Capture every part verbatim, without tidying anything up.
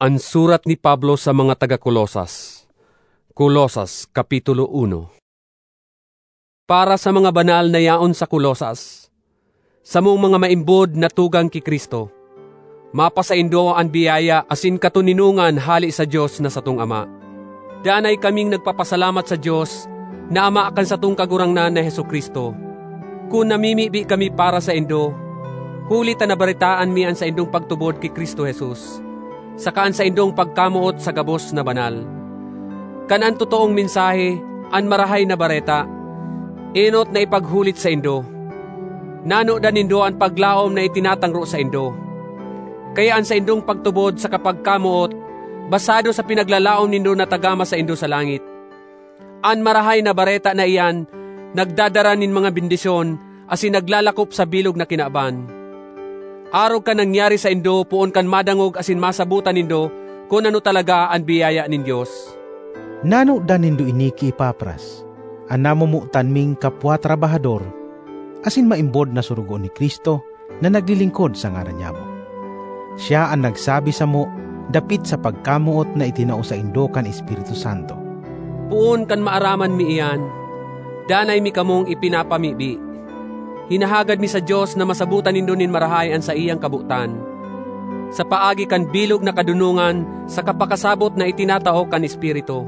An surat ni Pablo sa mga taga Colosas. Colosas, Kapitulo uno. Para sa mga banal na yaon sa Colosas, samong mga maimbod na tugang ki Cristo, mapasaindo an biyaya asin katoninongan hale sa Dios na satong Ama. Danay kaming nagpapasalamat sa Dios na Ama kan satong Kagurangnan na Jesu-Cristo, kun namimibi kami para saindo, huli ta nabaretaan mi an saindong pagtubod ki Cristo Jesus, saka an saindong pagkamoot sa gabos na banal. Kan an totoong mensahe, an Marahay na Bareta, enot na ipaghulit saindo. Nanodan nindo an paglaom na itinatangro saindo. Kaya an saindong pagtubod sa kapagkamoot, basado sa pinaglalaom nindo na tagama saindo sa langit. An Marahay na Bareta na iyan nagdadara nin mga bendisyon asin naglalakop sa bilog na kinaban. Arog kan nangyari saindo poon kan madangog asin masabotan nindo kun ano talaga an biyaya nin Dios. Nanodan nindo ini ki Epafras, an namomotan ming kapwa trabahador asin maimbod na sorogoon ni Cristo, na naglilingkod sa ngaran nyamo. Siya an nagsabi samo dapit sa pagkamoot na itinao saindo kan Espiritu Santo. Poon kan maaraman mi iyan, danay mi kamong ipinapamibi. Hinahagad mi sa Dios na masabotan nindo nin marahay an saiyang kabotan, sa paagi kan bilog na kadonongan sa kapakasabot na itinatao kan Espiritu.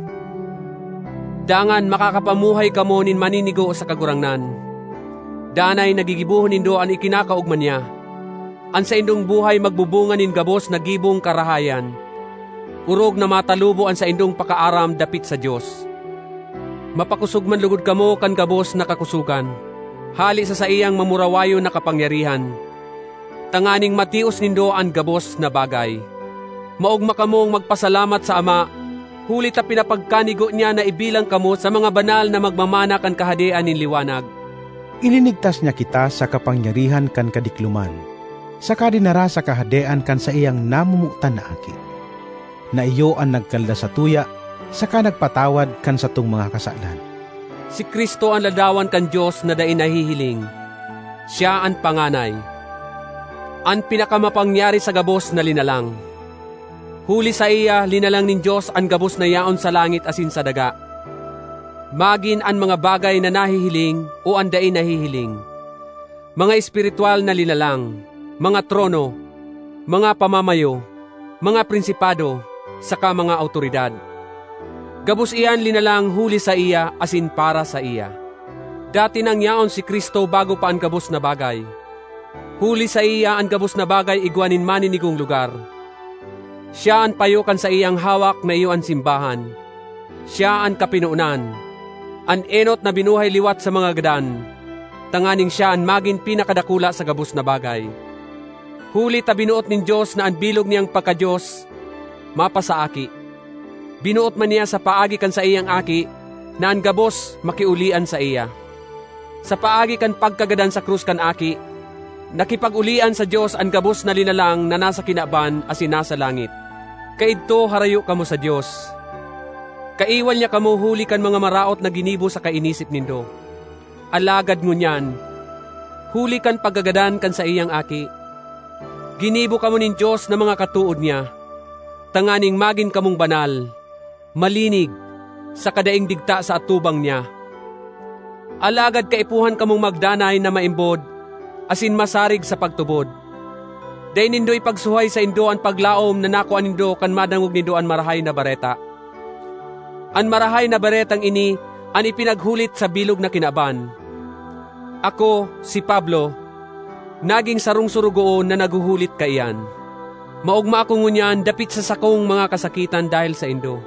Dangan makakapamuhay kamo nin maninigo sa Kagurangnan. Danay nagigibohon nindo an ikinakaogma niya. An saindong buhay magbubunga nin gabos na gibong karahayan, orog na matalubo an saindong pakaaram dapit sa Dios. Mapakosog man logod kamo kan gabos na kakosogan, hale sa saiyang mamurawayon na kapangyarihan, tanganing matios nindo an gabos na bagay. Maogma kamong magpasalamat sa Ama, huli ta pinapagkanigo niya na ibilang kamo sa mga banal na magmamana kan Kahadean nin liwanag. Ilinigtas niya kita sa kapangyarihan kan kadikloman, saka dinara sa Kahadean kan saiyang namomotan na Aki, na iyo an nagkaldas satuya saka nagpatawad kan satong mga kasalan. Si Cristo an ladawan kan Dios na dai nahihiling. Siya an panganay, an pinakamapangyari sa gabos na linalang. Huli saiya, linalang nin Dios an gabos na yaon sa langit asin sa daga, magin an mga bagay na nahihiling o an dai nahihiling, mga espiritual na linalang, mga trono, mga pamamayo, mga prinsipado, saka mga awtoridad. Gabos iyan linalang huli saiya asin para saiya. Dati nang yaon si Cristo bago pa an gabos na bagay. Huli saiya an gabos na bagay igwa nin maninigong lugar. Siya an payo kan saiyang hawak na iyo an simbahan. Siya an kapinonan, an enot na binuhay liwat sa mga gadan, tanganing siya an magin pinakadakula sa gabos na bagay. Huli ta binoot nin Dios na an bilog niyang pagka-Dios mapasaaki. Binoot man niya sa paagi kan saiyang Aki na an gabos makiolian saiya. Sa paagi kan pagkagadan sa krus kan Aki, nakipag-olian sa Dios an gabos na linalang na nasa kinaban asin nasa langit. Kaidto harayo kamo sa Dios. Kaiwal niya kamo huli kan mga maraot na ginibo saka inisip nindo. Alagad ngunyan, huli kan pagkagadan kan saiyang Aki, ginibo kamo nin Dios na mga katood niya, tanganing magin kamong banal, malinig, saka daing digta sa atubang niya. Alagad kaipuhan kamong magdanay na maimbod asin masarig sa pagtubod. Dai nindo ipagsuhay saindo an paglaom na nakua nindo kan madangog nindo an Marahay na Bareta. An Marahay na Baretang ini an ipinaghulit sa bilog na kinaban. Ako, si Pablo, nagin sarong sorogoon na naghuhulit kaiyan. Maogma ako ngunyan dapit sa sakong mga kasakitan dahel saindo.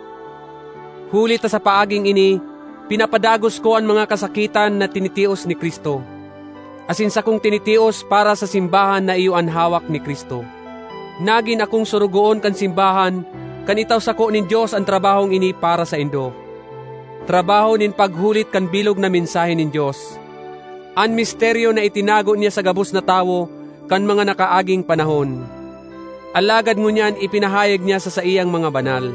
Huli ta sa paaging ini, pinapadagos ko an mga kasakitan na tinitios ni Cristo, asin sakong tinitios para sa simbahan na iyo an hawak ni Cristo. Nagin akong sorogoon kan simbahan kan itao sako nin Dios an trabahong ini para saindo, trabaho nin paghulit kan bilog na mensahe nin Dios, an misteryo na itinago niya sa gabos na tawo kan mga nakaaging panahon, alagad ngunyan ipinahayag niya sa saiyang mga banal.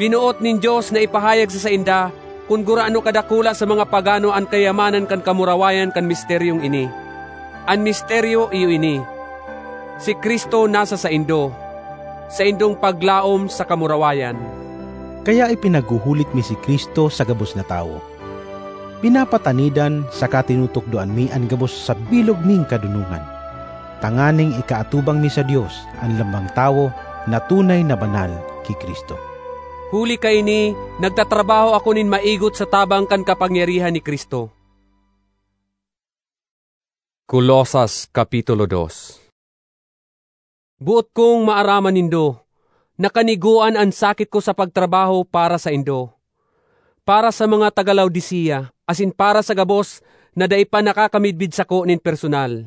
Binoot nin Dios na ipahayag sa sainda kun gurano kadakula sa mga pagano an kayamanan kan kamurawayan kan misteryong ini. An misteryo iyo ini: si Cristo nasa saindo, saindong paglaom sa kamurawayan. Kaya ipinaghuhulit mi si Cristo sa gabos na tawo. Pinapatanidan saka tinutukdoan mi an gabos sa bilog ming kadunongan, tanganing ikaatubang mi sa Dios an lambang tawo na tunay na banal ki Cristo. Huli kaini, nagtatrabaho ako nin maigot sa tabang kan kapangyarihan ni Cristo. Colosas, Kapitulo dos. Boot kong maaraman nindo na kanigoan an sakit ko sa pagtrabaho para saindo, para sa mga taga Laodicea, asin para sa gabos na dai pa nakakamidbid sako nin personal.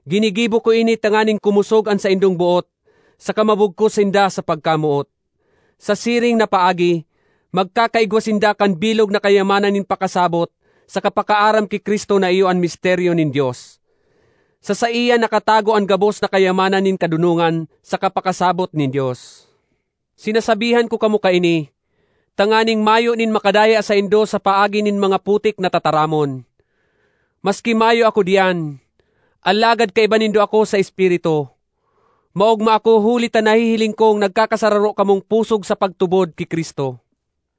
Ginigibo ko ini tanganing kumosog an saindong boot, saka mabugkos sinda sa pagkamoot. Sa siring na paagi, magkakaigwa sinda kan bilog na kayamanan nin pakasabot saka pakaaram ki Cristo na iyo an misteryo nin Dios. Sa saiya nakatago an gabos na kayamanan nin kadonongan saka pakasabot nin Dios. Sinasabihan ko kamo kaini, tanganing mayo nin makadaya saindo sa paagi nin mga putik na tataramon. Maski mayo ako diyan, alagad kaiba nindo ako sa espiritu. Maogma ako huli ta nahihiling kong nagkakasararo kamong pusog sa pagtubod ki Cristo.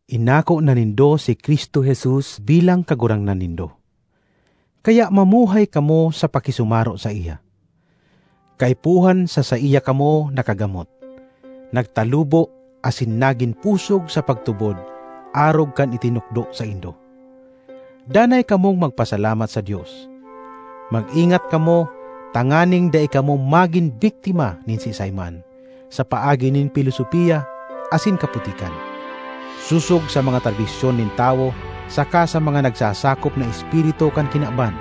Inako na nindo si Cristo Jesus bilang Kagurangnan nindo. Kaya mamuhay kamo sa pakisumaro saiya. Kaipuhan sa saiya kamo nakagamot, nagtalubo asin nagin pusog sa pagtubod arog kan itinukdo saindo. Danay kamong magpasalamat sa Dios. Mag-ingat kamo tanganing dai kamo magin biktima nin siisay man sa paagi nin pilosopiya asin kaputikan, sosog sa mga tradisyon nin tawo saka sa mga nagsasakop na espiritu kan kinaban,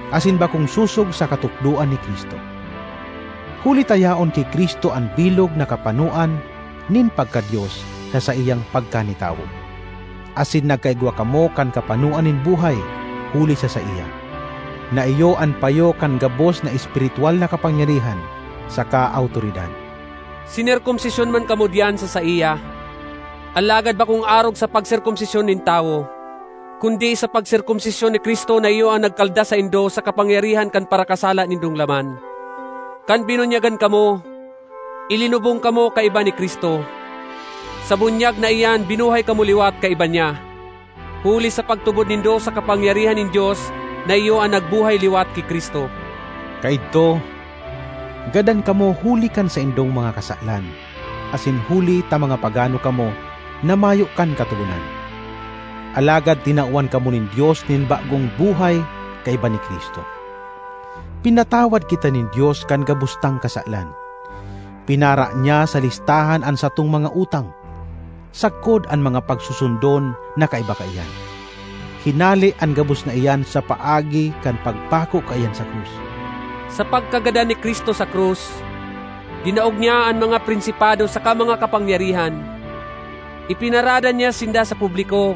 asin bakong sosog sa katukdoan ni Cristo. Huli ta yaon ki Cristo an bilog na kapanoan nin pagka-Dios sa saiyang pagkanitawo. Asin nagkaigwa kamo kan kapanoan nin buhay huli sa saiya, na iyo an payo kan gabos na espirituwal na kapangyarihan saka awtoridad. Sinerkomsisyon man kamo diyan sa saiya, alagad bakong arog sa pagserkomsisyon nin tawo, kundi sa pagserkomsisyon ni Cristo na iyo an nagkalda saindo sa kapangyarihan kan parakasala nindong laman. Kan binunyagan kamo, ilinubong kamo kaiba ni Cristo. Sa bunyag na iyan, binuhay kamo liwat kaiba niya, huli sa pagtubod nindo sa kapangyarihan nin Dios na iyo an nagbuhay liwat ki Cristo. Kaidto, gadan kamo huli kan saindong mga kasalan, asin huli ta mga pagano kamo na mayo kan Katogonan. Alagad tinawan kamo nin Dios nin bagong buhay kaiba ni Cristo. Pinatawad kita nin Dios kan gabos tang kasalan. Pinara niya sa listahan an satong mga utang, sagkod an mga pagsusundon na kaiba kaiyan. Hinale an gabos na iyan sa paagi kan pagpako kaiyan sa krus. Sa pagkagadan ni Cristo sa krus, dinaog niya an mga prinsipado saka mga kapangyarihan. Ipinaradan niya sinda sa publiko,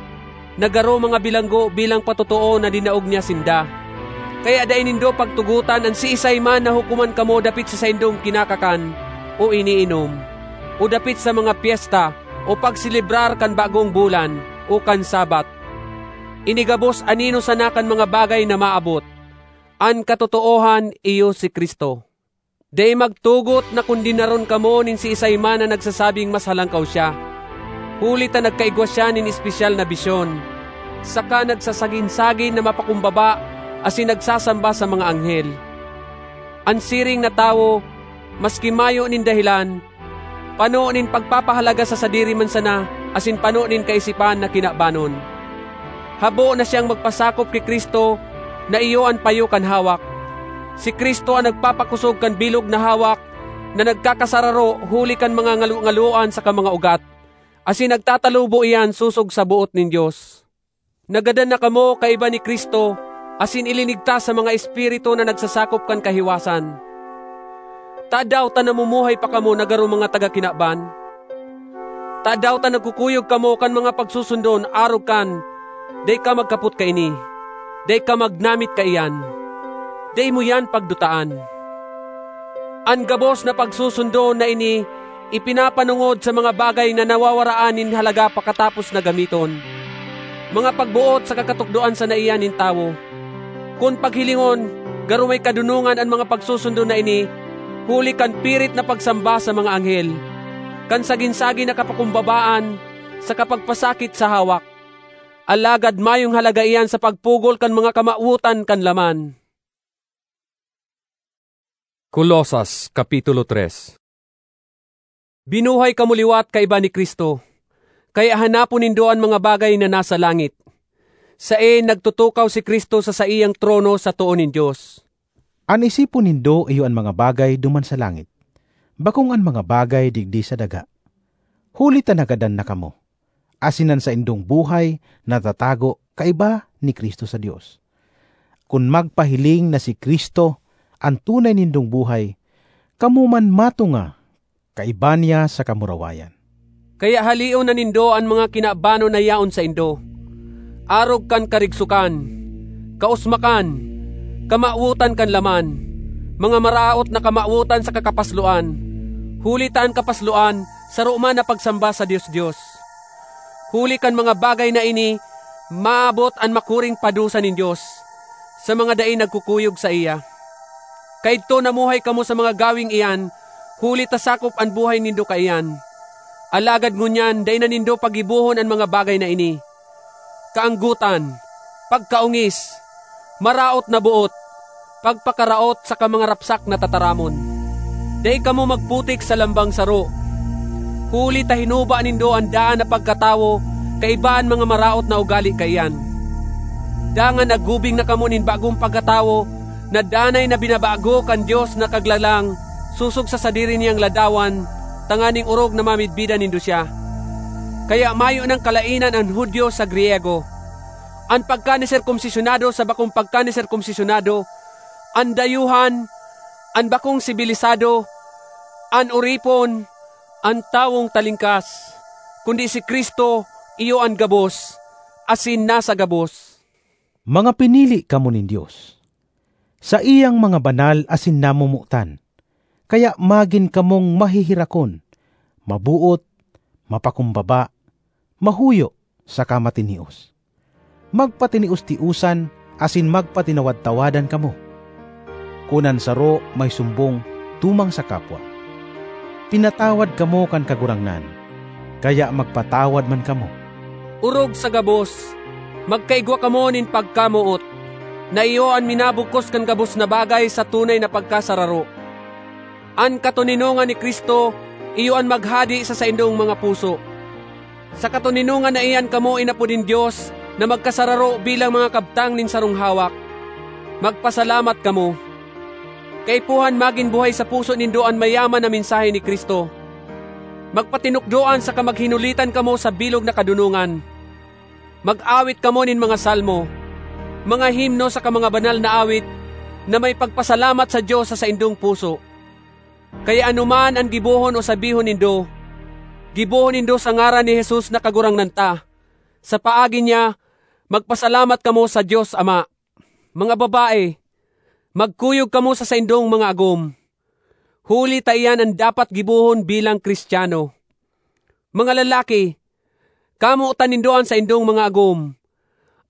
na garo mga bilanggo bilang patotoo na dinaog niya sinda. Kaya dai nindo pagtugotan an siisay man na hukoman kamo dapit sa saindong kinakakan o iniinom, o dapit sa mga pyesta o pagselebrar kan bagong bulan o kan Sabbath. Ini gabos anino sana kan mga bagay na maabot. An katotoohan iyo si Cristo. Dai magtugot na kondenaron kamo nin siisay man na nagsasabing mas halangkaw siya, huli ta nagkaigwa siya nin espesyal na bisyon, saka nagsasagin-sagin na mapakumbaba asin nagsasamba sa mga anghel. An siring na tawo, maski mayo nin dahelan, pano nin pagpapahalaga sa sadiri man sana asin pano nin kaisipan na kinabanon. Habo na siyang magpasakop ki Cristo na iyo an payo kan hawak. Si Cristo an nagpapakosog kan bilog na hawak na nagkakasararo huli kan mga ngalo-ngaloan saka mga ugat, asin nagtatalubo iyan sosog sa boot nin Dios. Nagadan na kamo kaiba ni Cristo asin ilinigtas sa mga espiritu na nagsasakop kan kahiwasan. Tadaw ta namumuhay pa kamo na garo mga taga kinaban? Tadaw ta nagkukuyog kamo kan mga pagsusundon arog kan, "Dai ka magkapot kaini, dai ka magnamit kaiyan, dai mo iyan pagdutaan"? An gabos na pagsusundon na ini ipinapanongod sa mga bagay na nawawaraan nin halaga pakatapos na gamiton, mga pagboot sa kakatukdoan sana iyan nin tawo. Kun paghilingon, garo may kadonongan an mga pagsusundon na ini, huli kan pirit na pagsamba sa mga anghel, kan sagin-sagin na kapakumbabaan sa kapagpasakit sa hawak. Alagad mayong halaga iyan sa pagpugol kan mga kamawotan kan laman. Colosas, Kapitulo tres. Binuhay kamo liwat kaiba ni Cristo, kaya hanapon nindo an mga bagay na nasa langit, saen nagtutukaw si Cristo sa saiyang trono sa too nin Dios. An isipon nindo iyo an mga bagay duman sa langit, bakong an mga bagay digdi sa daga. Huli ta nagadan na kamo, asin an saindong buhay natatago kaiba ni Cristo sa Dios. Kun magpahiling na si Cristo an tunay nindong buhay, kamo man matunga kaiba niya sa kamurawayan. Kaya halion na nindo an mga kinabanon na yaon saindo, arog kan karigsokan, kausmakan, kamawotan kan laman, mga maraot na kamawotan sa kakapasloan, huli ta an kapasloan saro man na pagsamba sa Dios-Dios. Huli kan mga bagay na ini, maabot an makuring padusa nin Dios sa mga dai nagkukuyog saiya. Kaidto namuhay kamo sa mga gaweng iyan, huli ta sakop an buhay nindo kaiyan. Alagad ngunyan, dai na nindo pagibohon an mga bagay na ini: kaanggotan, pagkaongis, maraot na boot, pagpakaraot saka mga rapsak na tataramon. Dai kamo magputik sa lambang saro, huli ta hinuba nindo an daan na pagkatawo kaiba an mga maraot na ugale kaiyan. Dangan naggubing na kamo nin bagong pagkatawo na danay na binabago kan Dios na Kaglalang sosog sa sadiri niyang ladawan, tanganing orog na mamidbidan nindo siya. Kaya mayo nang kalaenan an Judio sa Griego, an pagkaniserkomsisyonado sa bakong pagkaniserkomsisyonado, an dayuhan, an bakong sibilisado, an oripon, an tawong talingkas, kundi si Cristo iyo an gabos, asin nasa gabos. Mga pinili kamo nin Dios, saiyang mga banal asin namomotan, kaya magin kamong maheherakon, maboot, mapakumbaba, mahuyo, saka matinios. Magpatinios-tiosan asin magpatinawad-tawadan kamo. Kun an saro may sumbong tumang sa kapwa, pinatawad kamo kan Kagurangnan, kaya magpatawad man kamo. Orog sa gabos, magkaigwa kamo nin pagkamoot, na iyo an minabugkos kan gabos na bagay sa tunay na pagkasararo. An katoninongan ni Cristo iyo an maghade sa saindong mga puso. Sa katoninongan na iyan kamo inapo nin Dios na magkasararo bilang mga kabtang nin sarong hawak. Magpasalamat kamo. Kaipuhan magin buhay sa puso nindo an mayaman na mensahe ni Cristo. Magpatinukdoan saka maghinulitan kamo sa bilog na kadonongan. Mag-awit kamo nin mga salmo, mga himno saka mga banal na awit na may pagpasalamat sa Dios sa saindong puso. Kaya anoman an gibohon o sabihon nindo, gibohon nindo sa ngaran ni Jesus na Kagurangnan ta. Sa paagi niya, magpasalamat kamo sa Dios Ama. Mga babae, magkuyog kamo sa saindong mga agom, huli ta iyan an dapat gibohon bilang Cristiano. Mga lalaki, kamotan nindo an saindong mga agom,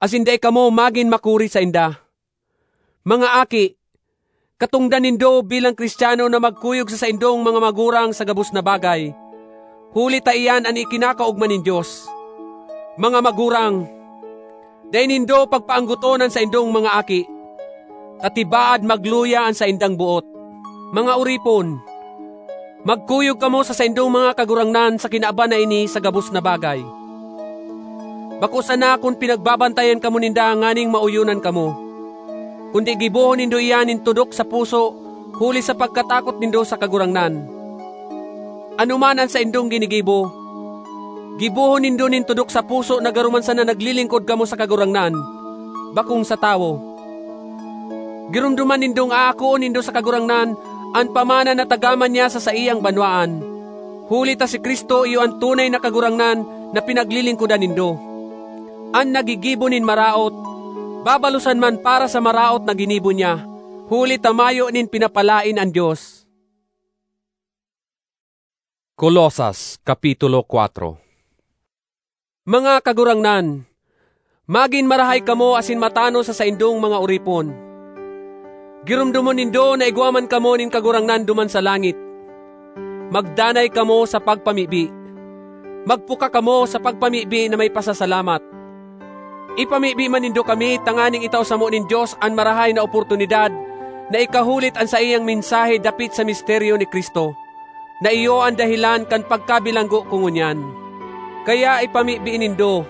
asin dai kamo magin makuri sainda. Mga aki, katongdan nindo bilang Cristiano na magkuyog sa saindong mga magurang sa gabos na bagay, huli ta iyan an ikinakaogma nin Dios. Mga magurang, dai nindo pagpaanggoton an saindong mga aki, ta tibaad magluya an saindang boot. Mga oripon, magkuyog kamo sa saindong mga kagurangnan sa kinaban na ini sa gabos na bagay. Bako sana kun pinagbabantayan kamo ninda nganing maoyonan kamo, kundi gibohon nindo iyan nin tudok sa puso, huli sa pagkatakot nindo sa Kagurangnan. Anoman an saindong ginigibo, gibohon nindo nin tudok sa puso na garo man sana naglilingkod kamo sa Kagurangnan, bakong sa tawo. Giromdoman nindong aakoon nindo sa Kagurangnan an pamana na tagaman niya sa saiyang banwaan, huli ta si Cristo iyo an tunay na Kagurangnan na pinaglilingkodan nindo. An naggigibo nin maraot, babalosan man para sa maraot na ginibo niya, huli ta mayo nin pinapalaen an Dios. Colosas, Kapitulo kuwatro. Mga kagurangnan, magin marahay kamo asin matanos sa saindong mga oripon. Giromdomon nindo na igwa man kamo nin Kagurangnan duman sa langit. Magdanay kamo sa pagpamibi. Magpuka kamo sa pagpamibi na may pasasalamat. Ipamibi man nindo kami tanganing itao samo nin Dios an marahay na oportunidad na ikahulit an saiyang mensahe dapit sa misteryo ni Cristo, na iyo an dahelan kan pagkabilanggo ko ngunyan. Kaya ipamibi nindo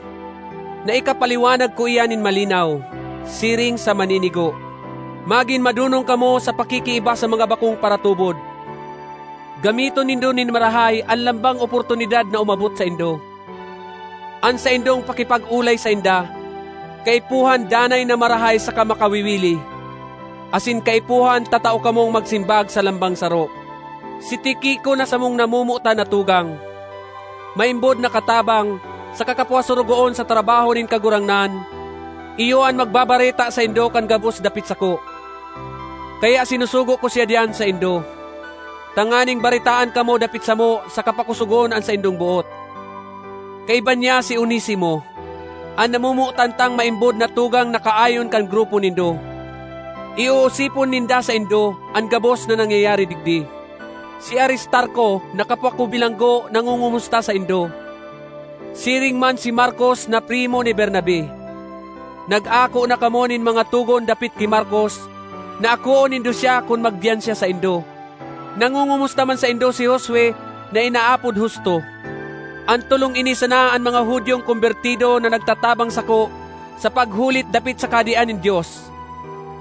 na ikapaliwanag ko iyan nin malinaw, siring sa maninigo. Magin madonong kamo sa pakikiiba sa mga bakong paratubod. Gamiton nindo nin marahay an lambang oportunidad na umabot saindo. An saindong pakipag-olay sainda, kaipuhan danay na marahay saka makawiwili, asin kaipuhan tatao kamong magsimbag sa lambang saro. Si Tiquico na samong namomotan na tugang, maimbod na katabang, saka kapwa sorogoon sa trabaho nin Kagurangnan, iyo an magbabareta saindo kan gabos dapit sako. Kaya sinusugo ko siya diyan saindo, tanganing baretaan kamo dapit samo saka pakosogon an saindong boot. Kaiba niya si Onesimo, an namomotan tang maimbod na tugang na kaayon kan grupo nindo. Iuusipon ninda saindo an gabos na nangyayari digdi. Si Aristarco na kapwa ko bilanggo nangongomusta saindo. Siring man si Marcos na primo ni Bernabe. Nag-ako na kamo nin mga togon dapit ki Marcos, na akoon nindo siya kun magdiyan siya saindo. Nangongomusta man saindo si Josue na inaapod Justo. An tolong ini sana an mga Judiong kombertido na nagtatabang sako sa paghulit dapit sa Kahadean nin Dios.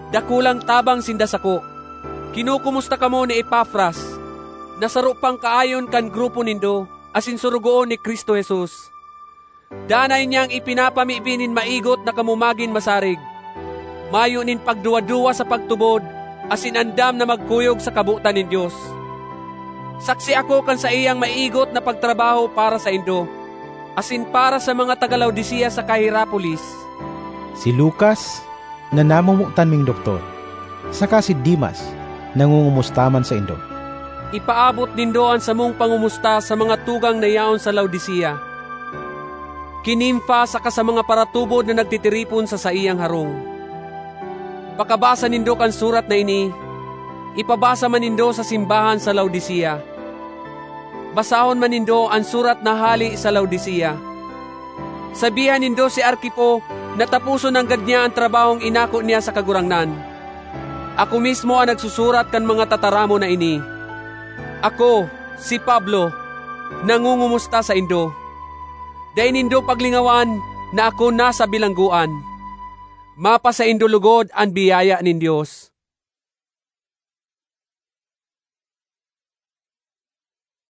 Dakulang tabang sinda sako. Kinokomusta kamo ni Epafras, na saro pang kaayon kan grupo nindo, asin sorogoon ni Cristo Jesus. Danay niyang ipinapamibi nin maigot na kamo magin masarig, mayo nin pagduwa-duwa sa pagtubod, asin andam na magkuyog sa kabotan nin Dios. Saksi ako kan saiyang maigot na pagtrabaho para saindo, asin para sa mga taga Laodicea saka Hierapolis. Si Lucas, na namomotan ming doktor, saka si Demas, nangongomusta man saindo. Ipaabot nindo an samong pangomusta sa mga tugang na yaon sa Laodicea, ki Nimfa saka sa mga paratubod na nagtitiripon sa saiyang harong. Pakabasa nindo kan surat na ini, ipabasa man nindo sa simbahan sa Laodicea. Basahon man nindo an surat na hale sa Laodicea. Sabihan nindo si Arquipo na taposon nanggad niya an trabahong inako niya sa Kagurangnan. Ako mismo an nagsusurat kan mga tataramon na ini. Ako, si Pablo, nangongomusta saindo. Dai nindo paglingawan na ako nasa bilanggoan. Mapasaindo logod an biyaya nin Dios.